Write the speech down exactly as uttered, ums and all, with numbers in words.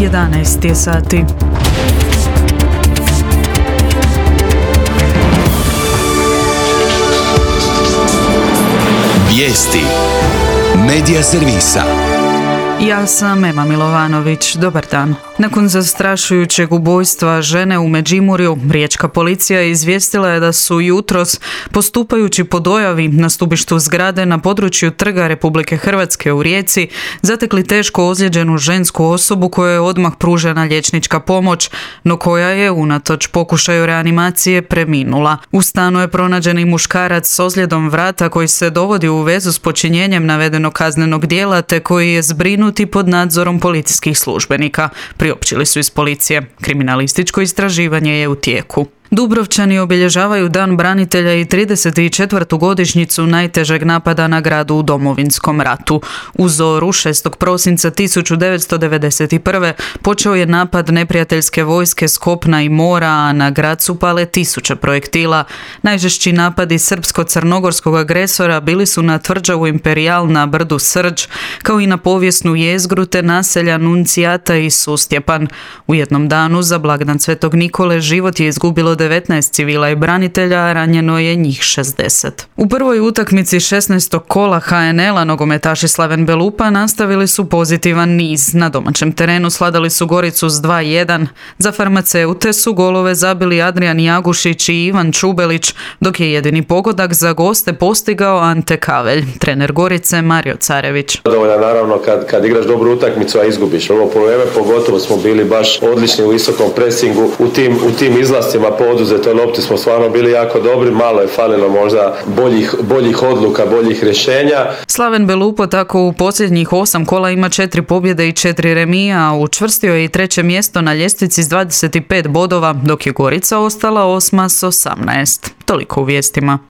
jedanaest je sati. Vijesti Medija servisa. Ja sam Ema Milovanović. Dobar dan. Nakon zastrašujućeg ubojstva žene u Međimurju, riječka policija izvijestila je da su jutros, postupajući po dojavi na stubištu zgrade na području Trga Republike Hrvatske u Rijeci, zatekli teško ozlijeđenu žensku osobu kojoj je odmah pružena liječnička pomoć, no koja je, unatoč pokušaju reanimacije, preminula. U stanu je pronađen i muškarac s ozljedom vrata koji se dovodi u vezu s počinjenjem navedenog kaznenog djela te koji je zbrinut i pod nadzorom policijskih službenika, priopćili su iz policije. Kriminalističko istraživanje je u tijeku. Dubrovčani obilježavaju Dan branitelja i trideset četvrtu godišnjicu najtežeg napada na grad u Domovinskom ratu. U zoru šestog prosinca tisuću devetsto devedeset prve. počeo je napad neprijateljske vojske s kopna i mora, a na grad su pale tisuće projektila. Najžešći napadi srpsko-crnogorskog agresora bili su na tvrđavu Imperijal na brdu Srđ, kao i na povijesnu jezgru te naselja Nuncijata i Sustjepan. U jednom danu za blagdan Svetog Nikole život je izgubilo devetnaest civila i branitelja, a ranjeno je njih šezdeset. U prvoj utakmici šesnaestog kola ha en el-a nogometaši Slaven Belupa nastavili su pozitivan niz. Na domaćem terenu sladali su Goricu s dva jedan. Za farmaceute su golove zabili Adrijan Jagušić i Ivan Čubelić, dok je jedini pogodak za goste postigao Ante Kavelj. Trener Gorice Mario Carević. Dovoljno naravno kad, kad igraš dobru utakmicu, a izgubiš. Ovo polovreme pogotovo smo bili baš odlični u visokom presingu, u tim, u tim izlascima po oduzetoj lopti smo stvarno bili jako dobri, malo je falilo možda boljih, boljih odluka, boljih rješenja. Slaven Belupo tako u posljednjih osam kola ima četiri pobjede i četiri remija, a učvrstio je i treće mjesto na ljestvici s dvadeset pet bodova, dok je Gorica ostala osma s osamnaest. Toliko u vijestima.